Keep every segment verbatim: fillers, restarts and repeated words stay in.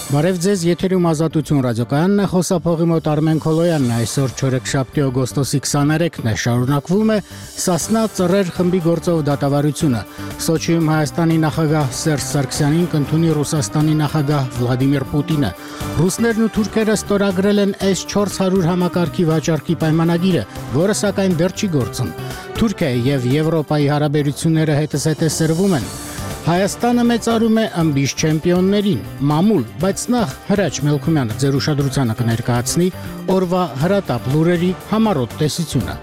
Բարև ձեզ, եթերում Ազատություն ռադիոկայանն է, խոսափողի մոտ Արմեն Քոլոյանն է, այսօր չորեքշաբթի օգոստոսի քսաներեքն է, շարունակվում է Սասնա ծռեր խմբի գործով դատավարությունը։ Սոչիում Հայաստանի նախագահ Սերժ Սարգսյանին կընդունի Ռուսաստանի նախագահ Վլադիմիր Պուտինը։ Ռուսներն ու թուրքերը ստորագրել են էս չորս հարյուր համակարգի վաճառքի պայմանագիրը, որը սակայն դեռ չի գործում։ Թուրքիայի եւ Եվրոպայի հարաբերությունները հետզհետե սրվում են։ Հայաստանը մեծարում է ըմբիշ չեմպիոններին, մամուլ, բայց նախ Հրաչ Մելքումյանը ձեր ուշադրությանը կներկայացնի օրվա հրատապ լուրերի համառոտ տեսությունը։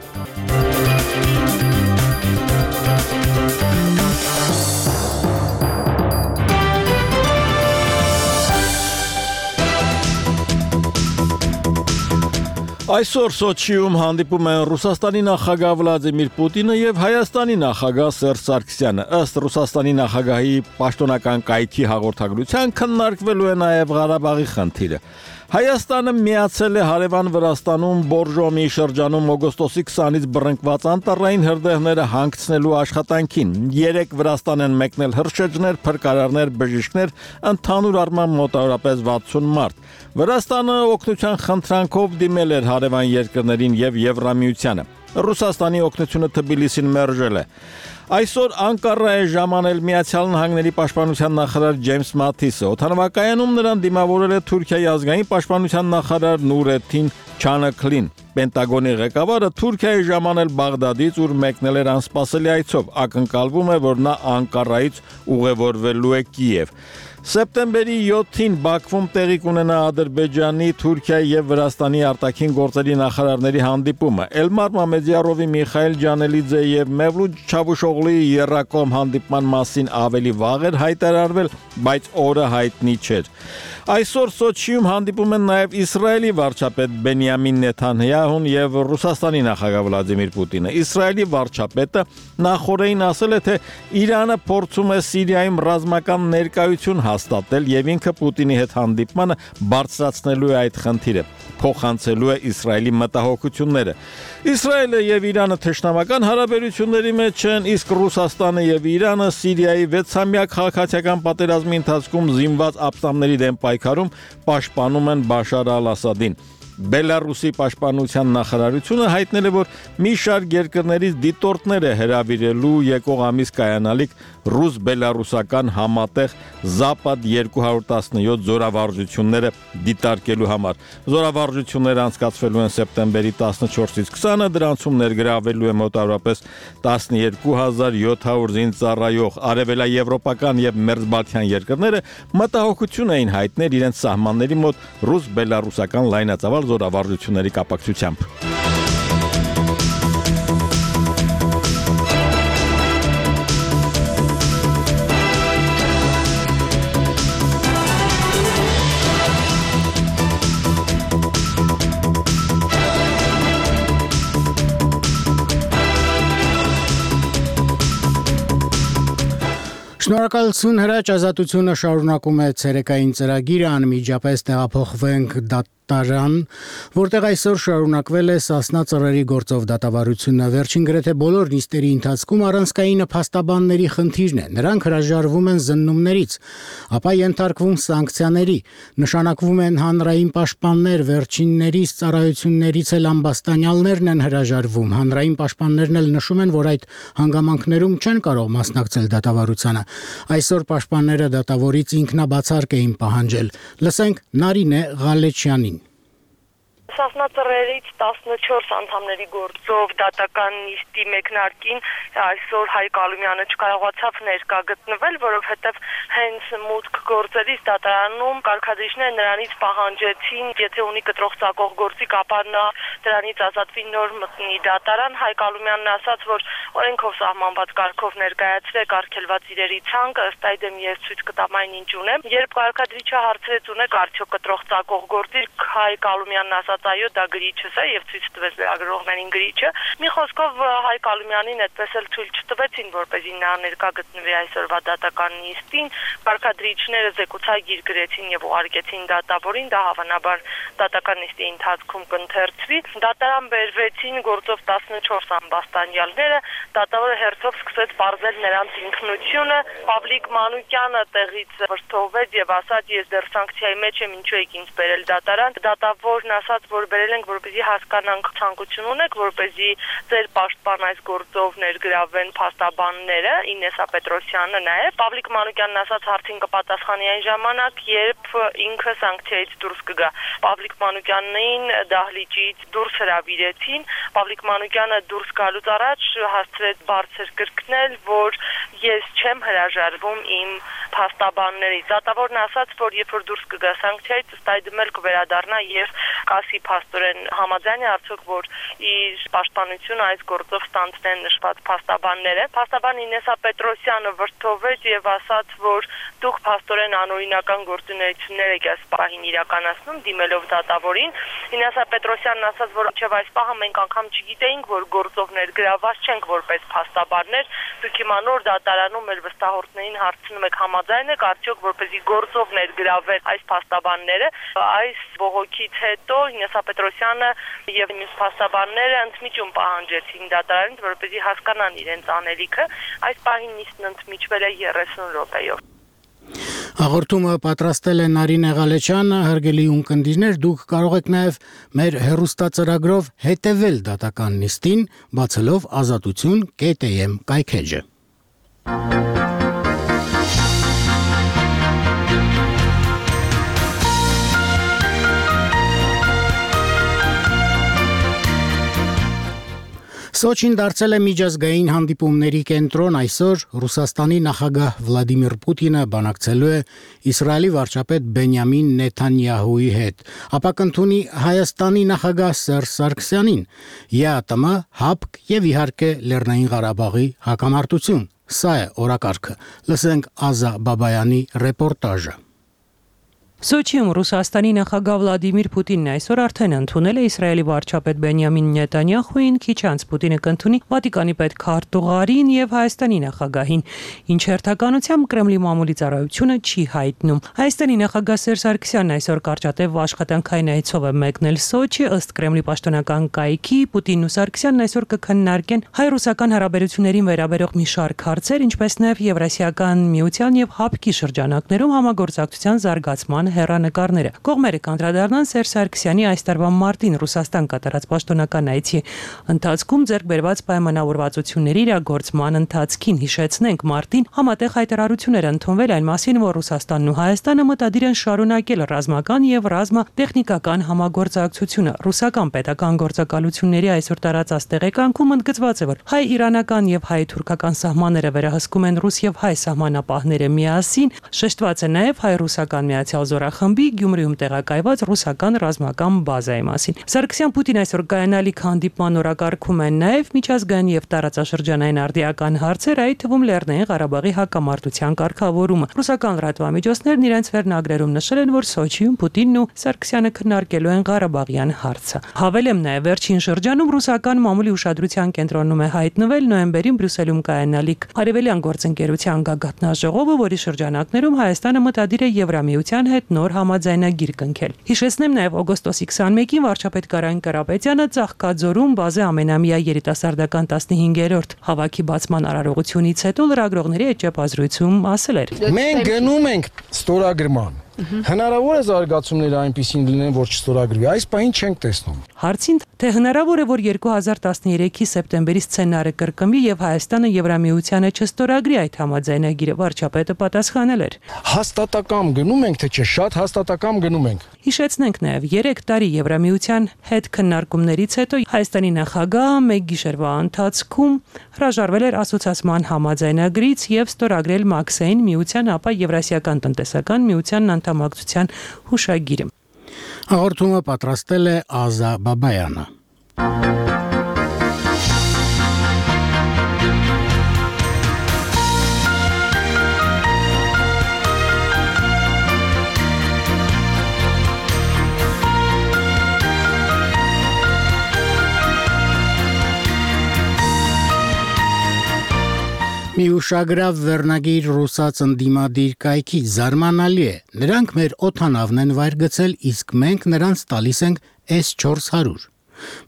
Այսօր Սոչիում հանդիպում են Ռուսաստանի նախագահ Վլադիմիր Պուտինը եւ Հայաստանի նախագահ Սերժ Սարգսյանը։ Ըստ Ռուսաստանի նախագահի պաշտոնական կայքի հաղորդագրության քննարկվելու է նաեւ Ղարաբաղի խնդիրը։ Հայաստանը միացել է հարևան Վրաստանում Բորժոմի շրջանում օգոստոսի քսանից բռնկված անտառային հրդեհները հանգցնելու աշխատանքին։ Երեք Վրաստան են մեկնել հրշեջներ, փրկարարներ, բժիշկներ, ընդհանուր առմամբ մոտավորապես վաթսուն մարդ։ Վրաստանը օգնության խնդրանքով դիմել էր հարևան երկրներին եւ Եվրամիությանը։ Ռուսաստանի օգնությունը Թբիլիսին մերժել է։ Այսօր Անկարա է ժամանել Միացյալ Նահանգների պաշտպանության նախարար Ջեյմս Մաթիսը։ Օդանավակայանում նրան դիմավորել է Թուրքիայի ազգային պաշտպանության նախարար Նուրեթին Չանաքլին։ Պենտագոնի ղեկավարը Թուրքիայի ժամանել Բաղդադից, ուր մեկնել էր անսպասելի այցով։ Ակնկալվում է, որ նա Անկարայից ուղևորվելու է Կիև։ Սեպտեմբերի յոթին Բաքվում տեղի կունենա Ադրբեջանի, Թուրքիայի եւ Վրաստանի արտաքին գործերի նախարարների հանդիպումը։ Էլմար Մամեդյարովի, Միխայել Ջանելիձե եւ Մևլութ Չավուշօղլուի երրակողմ հանդիպման մասին ավելի վաղ էր հայտարարվել, բայց օրը հայտնի չէր։ Այսօր Սոչիում հանդիպում են նաեւ Իսրայելի վարչապետ Բենյամին Նեթանյահուն եւ Ռուսաստանի նախագահ Վլադիմիր Պուտինը։ Իսրայելի վարչապետը նախորդին ասել է, թե Իրանը փորձում է Սիրիայում ռազմական ներկայություն հաստատել եւ ինքը Պուտինի հետ հանդիպմանը բարձրացնելու է այդ խնդիրը, փոխանցելու է Իսրայելի մտահոգությունները։ Իսրայելը եւ Իրանը թշնամական հարաբերությունների մեջ են, իսկ Ռուսաստանը եւ Իրանը Սիրիայի վեցամյա քաղաքացիական պատերազմի ընթացքում զինված ապստամբների դեմ պայքարում պաշտպանում են Բաշար al-Ասադին։ Բելարուսի պաշտպանության նախարարությունը հայտնել է, որ մի շարք երկրներից դիտորդներ է հրավիրելու եկող ամիս կայանալիք ռուս-բելարուսական համատեղ Զապադ երկու հարյուր տասնյոթ զորավարժությունները դիտարկելու համար։ Զորավարժությունները անցկացվելու են սեպտեմբերի տասնչորսից քսանը, դրանցում ներգրավվելու է մոտավորապես տասնյոթ հազար յոթ հարյուր զինծառայող արևելաեվրոպական եւ մերձբալթյան երկրները մտահոգություն էին հայտնել իրենց սահմանների մոտ ռուս-բելարուսական լայնածավալ զորավարժությունների կապակցությամբ։ Շնորհակալություն Հրաչ, Ազատությունը շարունակում է ցերեկային ծրագիրը, անմիջապես տեղափոխվենք դատարան, որտեղ այսօր շարունակվել է Սասնա ծռերի գործով դատավարությունը։ Վերջին գրեթե բոլոր նիստերի ընթացքում առանցքային փաստաբանների խնդիրն է։ Նրանք հրաժարվում են զննումներից, ապա ենթարկվում սանկցիաների, նշանակվում են հանրային պաշտպաններ, վերջիններից ծառայություններից էլ ամբաստանյալներն են հրաժարվում։ Հանրային պաշտպաններն էլ նշում են, որ այդ հանգամանքներում չեն կարող մասնակցել դատավարությանը։ Այսօր պաշտպանները դատավորից ինքնաբացարկ էին պահանջել։ Լսենք Նարինե Ղալեչյանին։ Սասնա ծռերից տասնչորս անդամների գործով դատական նիստի մեկնարկին այսօր Հայկ Ալումյանը չկարողացավ ներկա գտնվել, որովհետև հենց մուտք գործերից դատարանում կարգադրիչները նրանից պահանջեցին, եթե ունի կտրող ծակող գործիք, ապա նա դրանից ազատվի, նոր մտնի դատարան։ Հայկ Ալումյանն ասաց, որ օրենքով սահմանված կարգով ներկայացրեք արգելված իրերի ցանկը, ըստ այդմ ես ցույց կտամ այն ինչ ունեմ։ Երբ կարգադրիչը հարցրեց ունեք արդյոք կտրող ծակող գործիք, Հայկ Ալումյանն ասաց այո, դա գրիչս է եւ ցույց տվեց լրագրողներին գրիչը։ Մի խոսքով Հայկ Ալումյանին այդպես էլ ցույց չտվեցին, որպեսզի նա ներկա գտնվի այսօրվա դատական նիստին։ Վարքադրիչները զեկուցագիր գրեցին եւ ուղարկեցին դատավորին, դա հավանաբար դատական նիստի ընթացքում կընթերցվի։ Դատարան բերվեցին գործով տասնչորս ամբաստանյալները, դատավորը հերթով սկսեց բարձել նրանց ինքնությունը։ Պավլիկ Մանուկյանը տեղից վրդովվեց եւ ասաց, ես դեռ սանկցիայի մեջ եմ, ինչու եք ինձ բերել դատարան։ Դատավորն ասաց, որ բերել ենք, որպեսզի հասկանանք ցանկություն ունեք, որպեսզի ձեր պաշտպան այս գործով ներգրավեն փաստաբանները, Ինեսա Պետրոսյանը նաեւ։ Պավլիկ Մանուկյանն ասաց, հարցին կպատասխանի այն ժամանակ, երբ ինքը սանկցիայից դուրս կգա։ Պավլիկ Մանուկյանին դահլիճից դուրս հրավիրեցին։ Պավլիկ Մանուկյանը դուրս գալուց առաջ հասցրեց բարձր կրկնել, որ ես չեմ հրաժարվում իմ փաստաբաններից։ Դատավորն ասաց, որ երբ որ դուրս կգա սանկցիայից, ըստ այդմ էլ կվերադառնա եւ կասի փաստորեն համաձայն է արդյոք, որ իր պաշտպանությունը այս գործով ստանձնեն նշված փաստաբանները։ Փաստաբան Ինեսա Պետրոսյանը վրդովվեց եւ ասաց, որ դուք փաստորեն անօրինական գործունեություններ եք այս պահին իրականացնում, դիմելով դատավորին։ Ինեսա Պետրոսյանն ասաց, որ չէ, այս պահը մենք անգամ չգիտեինք, որ գործով ներգրավված չենք որպես փաստաբաններ։ Դուք հիմա նոր դատարանում մեր վստահորդներին հարցնում եք համաձայն եք արդյոք, որպեսզի գործով ներգրավեն այս փաստաբանները։ Այս բողոքից հետո Ինեսա Պետրոսյանը եւ մյուս փաստաբանները ընդմիջում պահանջեցին դատարանից, որպեսզի հասկանան իրենց անելիքը։ Այս պահին նիստն ընդմիջվել է երեսուն րոպեով։ Հաղորդումը պատրաստել է Նարինե Ղալեչյանը, հարգելի ունկնդիրներ, դուք կարող եք նաև մեր հեռուստածրագրով հետևել դատական նիստին, բացելով ազատություն կետ է էմ կայքեջը։ Սոչին դարձել է միջազգային հանդիպումների կենտրոն, այսօր Ռուսաստանի նախագահ Վլադիմիր Պուտինը բանակցելու է Իսրայելի վարչապետ Բենյամին Նեթանյահուի հետ, ապա կընդունի Հայաստանի նախագահ Սերժ Սարգսյանին, ԵԱՏՄ, ՀԱՊԿ եւ իհարկե Լեռնային Ղարաբաղի հակամարտություն։ Սա է օրակարգը։ Լսենք Ազա Բաբայանի ռեպորտաժը։ Սոչիում Ռուսաստանի նախագահ Վլադիմիր Պուտինն այսօր արդեն ընդունել է Իսրայելի վարչապետ Բենյամին Նեթանյահուին, քիչ անց Պուտինը կընդունի Վատիկանի պետքարտուղարին եւ Հայաստանի նախագահին, ինչ հերթականությամբ Կրեմլի մամուլի ծառայությունը չի հայտնում։ Հայաստանի նախագահ Սերժ Սարգսյանն այսօր կարճատև աշխատանքային այցով է մեկնել Սոչի, ըստ Կրեմլի պաշտոնական կայքի Պուտինն ու Սարգսյանն այսօր կքննարկեն հայ-ռուսական հարաբերություններին վերաբերող մի շարք հարցեր, ինչպես նաեւ Եվրասիական միության եւ ՀԱՊԿ-ի շրջանակներում համագործակցության զարգացման հեռանկարները։ Կողմերը կանդրադառնան Սերժ Սարգսյանի այս տարվա մարտին Ռուսաստան կատարած պաշտոնական այցի ընթացքում ձեռք բերված պայմանավորվածությունների իրագործման ընթացքին։ Հիշեցնենք, մարտին համատեղ հայտարարություններ ընդունվել այն մասին, որ Ռուսաստանն ու Հայաստանը մտադիր են շարունակել ռազմական եւ ռազմատեխնիկական համագործակցությունը։ Ռուսական պետական գործակալությունների այսօր տարածած տեղեկանքում ընդգծված է, որ հայ-իրանական եւ հայ-թուրքական սահմանները վերահսկում են ռուս եւ հայ սահմանապահները միասին։ Շեշտված է նաեւ հայ-ռուսական միացյալ զորախմբի Գյումրիում տեղակայված ռուսական ռազմական բազայի մասին։ Սարգսյան-Պուտին այսօր կայանալիք հանդիպման օրակարգում են նաև միջազգային եւ տարածաշրջանային արդիական հարցեր, այդ թվում Լեռնային Ղարաբաղի հակամարտության կարգավորումը։ Ռուսական լրատվամիջոցներն իրենց վերնագրերում նշել են, որ Սոչիում Պուտինն ու Սարգսյանը քննարկելու են Ղարաբաղյան հարցը։ Հավելեմ նաև վերջին շրջանում ռուսական մամուլի ուշադրության կենտրոնում է հայտնվել նոյեմբերին Բրյուսելում կայանալիք Արևելյան գործընկերության գագաթնաժողովը, որի շրջանակներում Հայաստանը մտադիր է Եվրամիության հետ նոր համաձայնագիր կնքել։ Հիշեցնեմ նաև օգոստոսի քսաներկին վարչապետ Կարեն Կարապետյանը Ծաղկաձորում բազե ամենամյա երիտասարդական տասնհինգերորդ հավաքի բացման արարողությունից հետո լրագրողների հետ ճեպազրույցում ասել էր. Մենք գնում ենք ստորագրման։ Հնարավոր է զարգացումները այնպիսին լինեն, որ չստորագրվի, այս պահին չենք տեսնում։ Հարցին, թե հնարավոր է, որ երկու հազար տասներեքի սեպտեմբերի սցենարը կրկնվի եւ Հայաստանը Եվրամիությանը չստորագրի այդ համաձայնագիրը, վարչապետը պատասխանել էր. Հաստատակամ գնում ենք, թե չէ, շատ հաստատակամ գնում ենք։ Հիշեցնենք նաև երեք տարի Եվրամիության հետ քննարկումներից հետո Հայաստանի նախագահը մեկ գիշերվա ընթացքում հրաժարվել էր ասոցիացիան համաձայնագրից եւ ստորագրել Մաքսային միության, ապա Եվրասիական տնտեսական միության անդամակցության հուշագիրը։ Հաղորդումը պատրաստել է Ազա Բաբայանը։ ուշագրավ վերնագիր ռուսաց ընդդիմադիր կայքից զարմանալի է։ Նրանք մեր օդանավն են վայր գցել, իսկ մենք նրանց տալիս ենք S four hundred։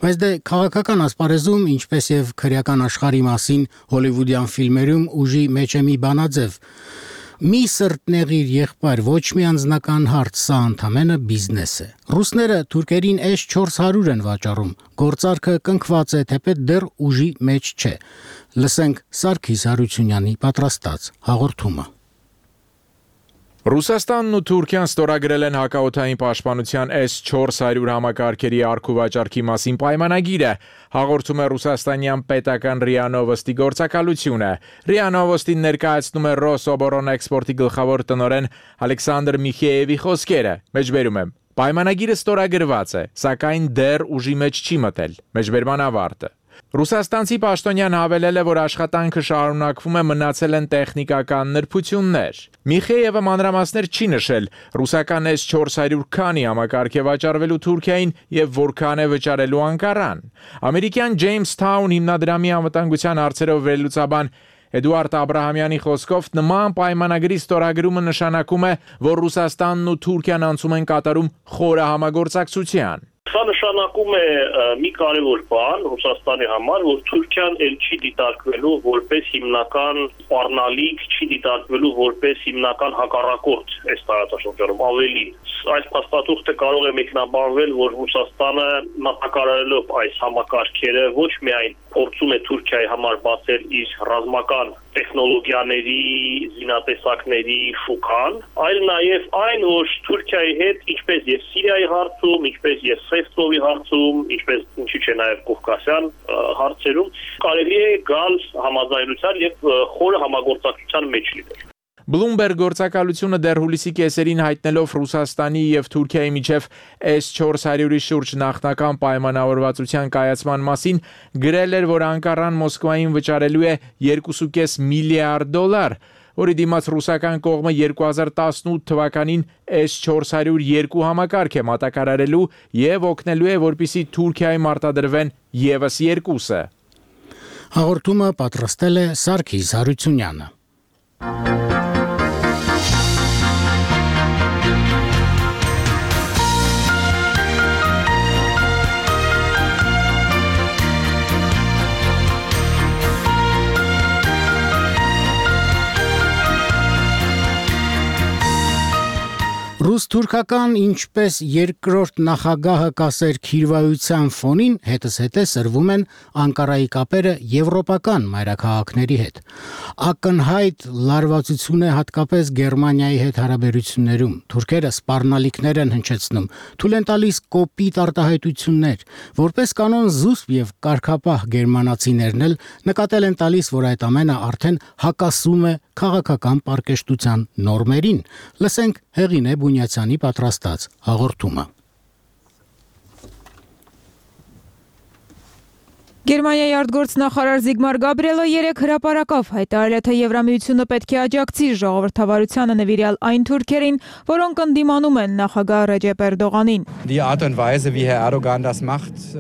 Բայց դե քաղաքական ասպարեզում, ինչպես եւ քրեական աշխարհի մասին հոլիվուդյան ֆիլմերում ուժի մեջ է մի բանաձև։ Մի սրտնեղիր եղբայր, ոչ մի անձնական հարց, սա ընդամենը բիզնես է։ Ռուսները թուրքերին S four hundred են վաճառում, գործարքը կնքված է, թեպետ դեռ ուժի մեջ չէ։ Լսենք Սարգիս Հարությունյանի պատրաստած հաղորդումը։ Ռուսաստանն ու Թուրքիան ստորագրել են հակաօդային պաշտպանության S four hundred համակարգերի առք ու վաճառքի մասին պայմանագիրը, հաղորդում է ռուսաստանյան պետական րիա Նովոստի գործակալությունը։ րիա Նովոստին ներկայացնում է Ռոսոբոռոնէքսպորտի գլխավոր տնօրեն Ալեքսանդր Միխեևի խոսքերը։ Մեջբերում եմ. Պայմանագիրը ստորագրված է, սակայն դեռ ուժի մեջ չի մտել։ Մեջբերման ավարտը։ Ռուսաստանցի պաշտոնյան հավելել է, որ աշխատանքը շարունակվում է, մնացել են տեխնիկական նրբություններ։ Միխեևը մանրամասներ չի նշել ռուսական S four hundred քանի համակարգ է վաճառվելու Թուրքիային եւ որքան է վճարելու Անկարան։ Ամերիկյան Jamestown հիմնադրամի անվտանգության հարցերով վերլուծաբան Էդուարդ Աբրահամյանի խոսքով նման պայմանագրի ստորագրումը նշանակում է, որ Ռուսաստանն ու Թուրքիան անցում են կատարում խորը համագործակցության։ Սա նշանակում է մի կարևոր բան Ռուսաստանի համար, որ Թուրքիան ել չի դիտարկվելու որպես հիմնական սպառնալիք, չի դիտարկվելու որպես հիմնական հակառակորդ այս տարածաշրջանում, ավելին։ Այս փաստաթուղթը կարող է մեկնաբանվել, որ Ռուսաստանը մատակարարելով այս համակարգերը ոչ միայն փորձում է Թուրքիայի համար բացել իր ռազմական տեխնոլոգիաների, զինատեսակների շուկան, այլ նաև այն, որ Թուրքիայի հետ, ինչպես եւ Սիրիայի հարցում, ինչպես եւ Սեֆտովի հարցում, ինչպես ինչի՞ չէ նաև Կովկասյան հարցերում, կարելի է գալ համաձայնության եւ խորը համագործակցության մեջ լինել։ Bloomberg գործակալությունը դեռ հուլիսի կեսերին հայտնելով Ռուսաստանի եւ Թուրքիայի միջև S four hundred-ի շուրջ նախնական պայմանավորվածության կայացման մասին գրել էր, որ Անկարան Մոսկվային վճարելու է two point five միլիարդ դոլար, որի դիմաց ռուսական կողմը two thousand eighteen թվականին S four hundred two համակարգ է մատակարարելու եւ օգնելու է, որպիսի Թուրքիայի մարտադրվեն եւս երկուսը։ Հաղորդումը պատրաստել է Սարգիս Հարությունյանը։ Ռուս-թուրքական ինչպես երկրորդ նախագահը կասեր քիրվայության ֆոնին հետզհետե սրվում են Անկարայի կապերը եվրոպական մայրաքաղաքների հետ։ Ակնհայտ լարվածություն է հատկապես Գերմանիայի հետ հարաբերություններում։ Թուրքերը սպառնալիքներ են հնչեցնում, թույլ են տալիս կոպիտ արտահայտություններ, որպես կանոն զուսպ եւ կարգապահ գերմանացիներն էլ նկատել են տալիս, որ այդ ամենը արդեն հակասում է քաղաքական պարկեշտության նորմերին։ Լսենք Հեղինե Բունյացյանի պատրաստած հաղորդումը։ Գերմանիայի արտգործնախարար Զիգմար Գաբրիելը երեկ հրապարակավ հայտարարել է, թե Եվրամիությունը պետք է աջակցի ժողովրդավարությանը նվիրյալ այն թուրքերին, որոնք ընդդիմանում են նախագահ Ռեջեփ Էրդողանին։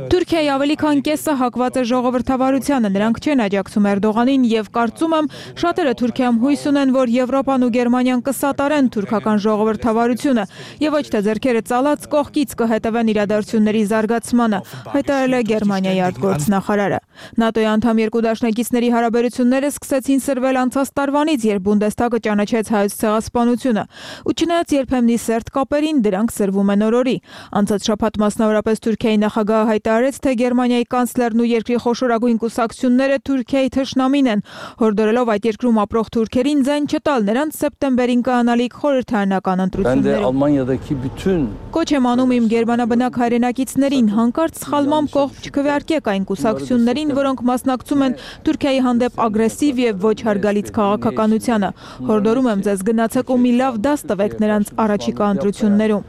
Թուրքիայի ավելի քան կեսը հակված է ժողովրդավարությանը, նրանք չեն աջակցում Էրդողանին եւ կարծում եմ շատերը Թուրքիայում հույս ունեն, որ Եվրոպան ու Գերմանիան կսատարեն թուրքական ժողովրդավարությունը եւ ոչ թե ձեռքերը ծալած կողքից կհետևեն իրադարձությունների զարգացմանը, հայտարարել է Գերմանիայի արտգործնախարար։ ՆԱՏՕ-ի անդամ երկու դաշնակիցների հարաբերությունները սկսեցին սրվել անցած տարվանից, երբ Բունդեսթագը ճանաչեց հայոց ցեղասպանությունը, ու չնայած երբեմնի սերտ կապերին դրանք սրվում են օրորի։ Անցած շաբաթ մասնավորապես Թուրքիայի նախագահը հայտարարեց, թե Գերմանիայի կանցլերն ու երկրի խոշորագույն կուսակցությունները Թուրքիայի թշնամին են, հորդորելով այդ երկրում ապրող թուրքերին ձայն չտալ նրանց սեպտեմբերին կայանալիք խորհրդարանական ընտրություններում։ Կոչ եմ անում իմ գերմանաբնակ հայրենակիցներին, հանկարծ սխալմամբ կողմ չքվեարկեք այն կուսակցություններին, որոնք մասնակցում են Թուրքիայի հանդեպ ագրեսիվ եւ ոչ հարգալից քաղաքականությանը։ Հորդորում եմ ձեզ գնացեք ու մի լավ դաս տվեք նրանց առաջիկա ընտրություններում։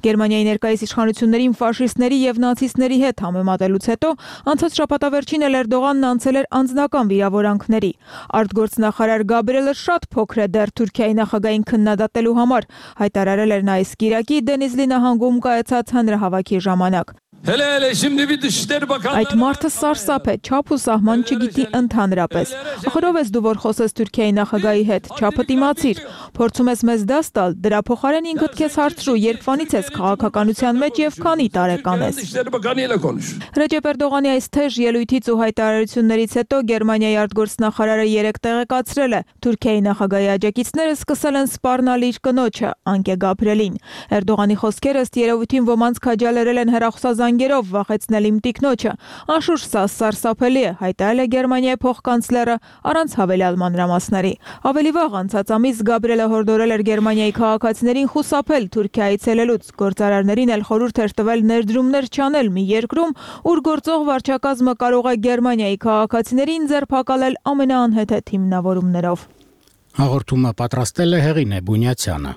Գերմանիայի ներկայիս իշխանություններին ֆաշիստների եւ նացիստների հետ համեմատելուց հետո անցած շաբաթավերջին էլ Էրդողանն անցել էր անձնական վիրավորանքների։ Արտգործնախարար Գաբրիելը շատ փոքր է դեռ Թուրքիայի նախագահային քննադատելու համար, հայտարարել էր նա այս կիրակի Դենիզլի նահանգում կայացած հանրահավաքի ժամանակ։ Hele hele şimdi bir Dışişleri Bakanlığı Այդ մարդը սարսափ է, չափ ու սահման չգիտի ընդհանրապես։ Ախորով ես դու որ խոսես Թուրքիայի նախագահի հետ, չափը դիմացիր, փորձում ես մեզ դաս տալ, դրա փոխարեն ինքդ քեզ հարցրու, երբվանից ես քաղաքականության մեջ եւ քանի տարեկան ես։ Dışişleri Bakanı ile konuş. Ռեջեփ Էրդողանի այս թեժ ելույթից ու հայտարարություններից հետո Գերմանիայի արտգործնախարարը երեք տեղեկացրել է, Թուրքիայի նախագահի աջակիցները սկսել են սպառնալ իր կնոջը, Անկե Գաբրիելին։ Էրդողանի խոսքերը ըստ երևույթին ոմանց քաջալերել են հեռախոսազանգերով վախեցնել իմ տիկնոջը։ Անշուշտ սա սարսափելի է, հայտարարել է Գերմանիայի փոխկանցլերը առանց հավելյալ մանրամասների։ Ավելի վաղ անցած ամիս Գաբրիելը հորդորել էր Գերմանիայի քաղաքացիներին խուսափել Թուրքիայից ելելուց, գործարարներին էլ խորհուրդ էր տվել ներդրումներ չանել մի երկրում, ուր գործող վարչակազմը կարող է Գերմանիայի քաղաքացիներին ձերբակալել ամենաանհեթեթ հիմնավորումներով։ Հաղորդումը պատրաստել է Հեղինե Բունյացյանը։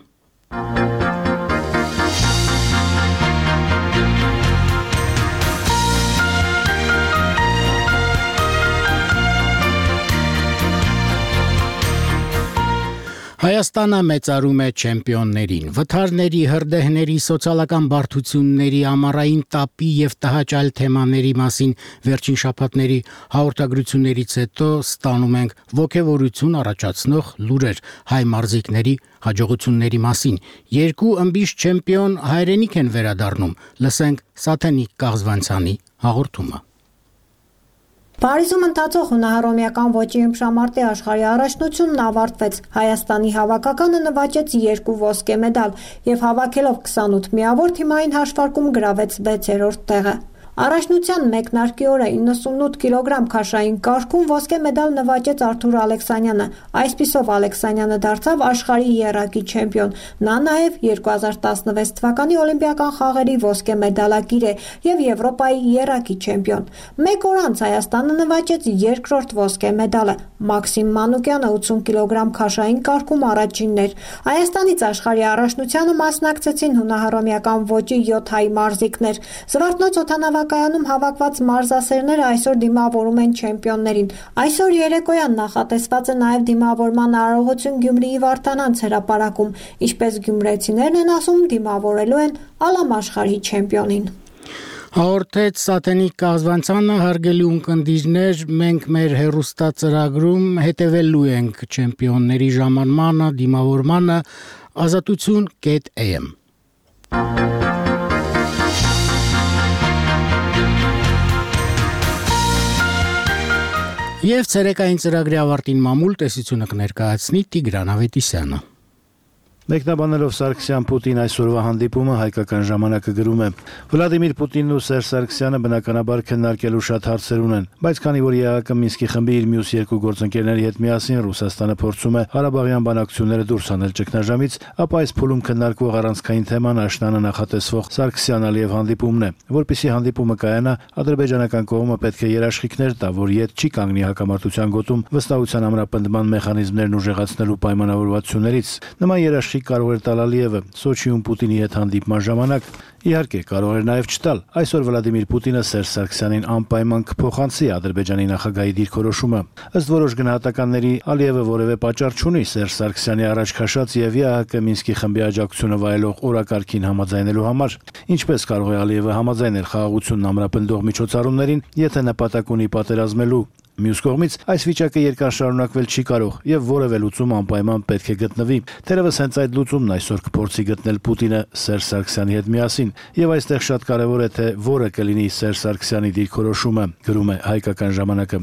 Հայաստանը մեծարում է չեմպիոններին, վթարների, հրդեհների, սոցիալական բարդությունների, ամառային տապի եւ տհաճ թեմաների մասին վերջին շաբաթների հաղորդագրություններից հետո ստանում ենք ոգևորություն առաջացնող լուրեր հայ մարզիկների հաջողությունների մասին։ Երկու ըմբիշ չեմպիոն հայրենիք են վերադառնում։ Լսենք Սաթենիկ Կաղզվանցյանի հաղորդումը։ Փարիզում ընթացող հունահռոմեական ոճի ըմբշամարտի աշխարհի առաջնությունն ավարտվեց։ Հայաստանի հավաքականը նվաճեց երկու ոսկե մեդալ եւ հավաքելով քսանութ միավոր թիմային հաշվարկում գրավեց վեցերորդ տեղը։ Առաջնության մեկնարկի օրը իննսունութ կիլոգրամ քաշային կարգում ոսկե մեդալ նվաճեց Արթուր Ալեքսանյանը։ Այսպիսով Ալեքսանյանը դարձավ աշխարհի եռակի չեմպիոն։ Նա նաև երկու հազար տասնվեց թվականի օլիմպիական խաղերի ոսկե մեդալակիր է եւ Եվրոպայի եռակի չեմպիոն։ Մեկ օր անց Հայաստանը նվաճեց երկրորդ ոսկե մեդալը։ Մաքսիմ Մանուկյանը ութսուն կիլոգրամ քաշային կարգում առաջինն էր։ Հայաստանից աշխարհի առաջնությանը մասնակցեցին հունահռոմեական ոճի յոթ հայ մարզիկներ։ Զվարթնոց օդանավակայանում հավաքված մարզասերները այսօր դիմավորում են չեմպիոններին։ Այսօր երեկոյան նախատեսված է նաև դիմավորման արարողություն Գյումրիի Վարդանանց հրապարակում, ինչպես գյումրեցիներն են ասում, դիմավորելու են ալամաշխարհի չեմպիոնին։ Հաղորդեց Սաթենիկ Կազվանցյանը, հարգելի ունկնդիրներ, մենք մեր հեռուստածրագրում հետևելու ենք չեմպիոնների ժամանմանը, դիմավորմանը, ազատություն կետ am։ Եվ ցերեկային ծրագրի ավարտին մամուլ տեսությունը կներկայացնի Տիգրան Ավետիսյանը։ Մեկնաբանելով Սարգսյան-Պուտին այսօրվա հանդիպումը հայկական ժամանակը գրում է. Վլադիմիր Պուտինն ու Սերժ Սարգսյանը բնականաբար քննարկելու շատ հարցեր ունեն, բայց քանի որ ԵԱՀԿ Մինսկի խմբի իր մյուս երկու գործընկերների հետ միասին Ռուսաստանը փորձում է Ղարաբաղյան բանակցությունները դուրս հանել ճգնաժամից, ապա այս փուլում քննարկվող առանցքային թեման աշնանը նախատեսվող Սարգսյան-Ալիև հանդիպումն է, որպեսզի հանդիպումը կայանա, ադրբեջանական կողմը պետք է երաշխիքներ տա, որ ետ չի կանգնի հակամարտության գոտում վստահության ամրապնդման մեխանիզմներն ուժեղացնելու պայմանավորվածություններից։ Նման երաշխիք կարող էր տալ Ալիևը Սոչիում Պուտինի հետ հանդիպման ժամանակ։ Իհարկե, կարող էր նաև չտալ։ Այսօր Վլադիմիր Պուտինը Սերժ Սարգսյանին անպայման կփոխանցի Ադրբեջանի նախագահի դիրքորոշումը։ Ըստ որոշ գնահատականների, Ալիևը որևէ պատճառ չունի Սերժ Սարգսյանի առաջ քաշած եւ ԵԱՀԿ Մինսկի խմբի աջակցությունը վայելող օրակարգին համաձայնելու համար։ Ինչպես կարող է Ալիևը համաձայնել խաղաղությունն ամրապնդող միջոցառումներին, եթե նպատակ ունի պատերազմելու։ Մյուս կողմից այս վիճակը երկար շարունակվել չի կարող եւ որևէ լուծում անպայման պետք է գտնվի։ Թերևս հենց այդ լուծումն այսօր կփորձի գտնել Պուտինը Սերժ Սարգսյանի հետ միասին, եւ այստեղ շատ կարեւոր է թե որը կլինի Սերժ Սարգսյանի դիրքորոշումը, գրում է հայկական ժամանակը։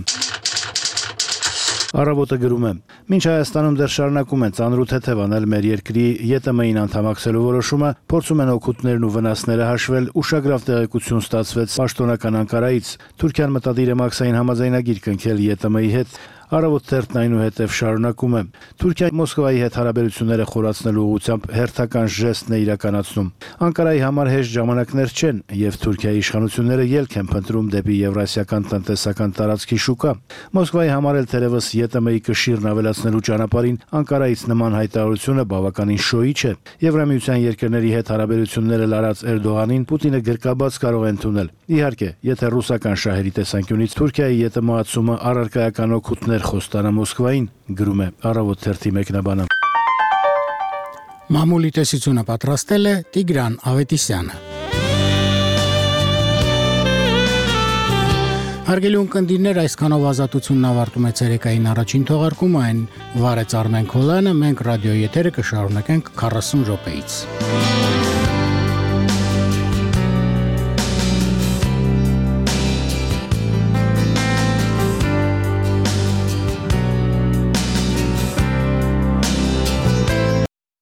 Առավոտը գրում է. Մինչ Հայաստանում դեռ շարունակում են ծանրութեթև անել մեր երկրի ԵՏՄ-ին անդամակցելու որոշումը, փորձում են օգուտներն ու վնասները հաշվել, ուշագրավ տեղեկություն ստացվեց պաշտոնական Անկարայից։ Թուրքիան մտադիր է մաքսային համաձայնագիր կնքել ԵՏՄ-ի հետ։ Առավոտ թերթն այնուհետև շարունակում է. Թուրքիան Մոսկվայի հետ հարաբերությունները խորացնելու ուղղությամբ հերթական ժեստն է իրականացնում։ Անկարայի համար հեշտ ժամանակներ չեն, եւ Թուրքիայի իշխանությունները ելք են փնտրում դեպի Եվրասիական տնտեսական տարածքի շուկա։ Մոսկվայի համար էլ թերևս ԵՏՄ-ի կշիռն ավելացնելու ճանապարհին Անկարայից նման հայտարարությունը բավականին շոյիչ է։ Եվրամիության երկրների հետ հարաբերությունները լարած Էրդողանին Պուտինը գրկաբաց կարող է ընդունել։ Իհարկե, եթե ռուսական շահերի տեսանկյունից Թուրքիայի ԵՏՄ-ացումը առարկայական օգուտներ խոստանա Մոսկվային, գրում է Առավոտ թերթի մեկնաբանը։ Մամուլի տեսությունը պատրաստել է Տիգրան Ավետիսյանը։ Հարգելի ունկնդիրներ, այսքանով ազատությունն ավարտում է ցերեկային առաջին թողարկումը, այն վարեց Արմեն Քոլյանը, մենք ռադիոյի եթերը կշարունակենք քառասուն րոպեից։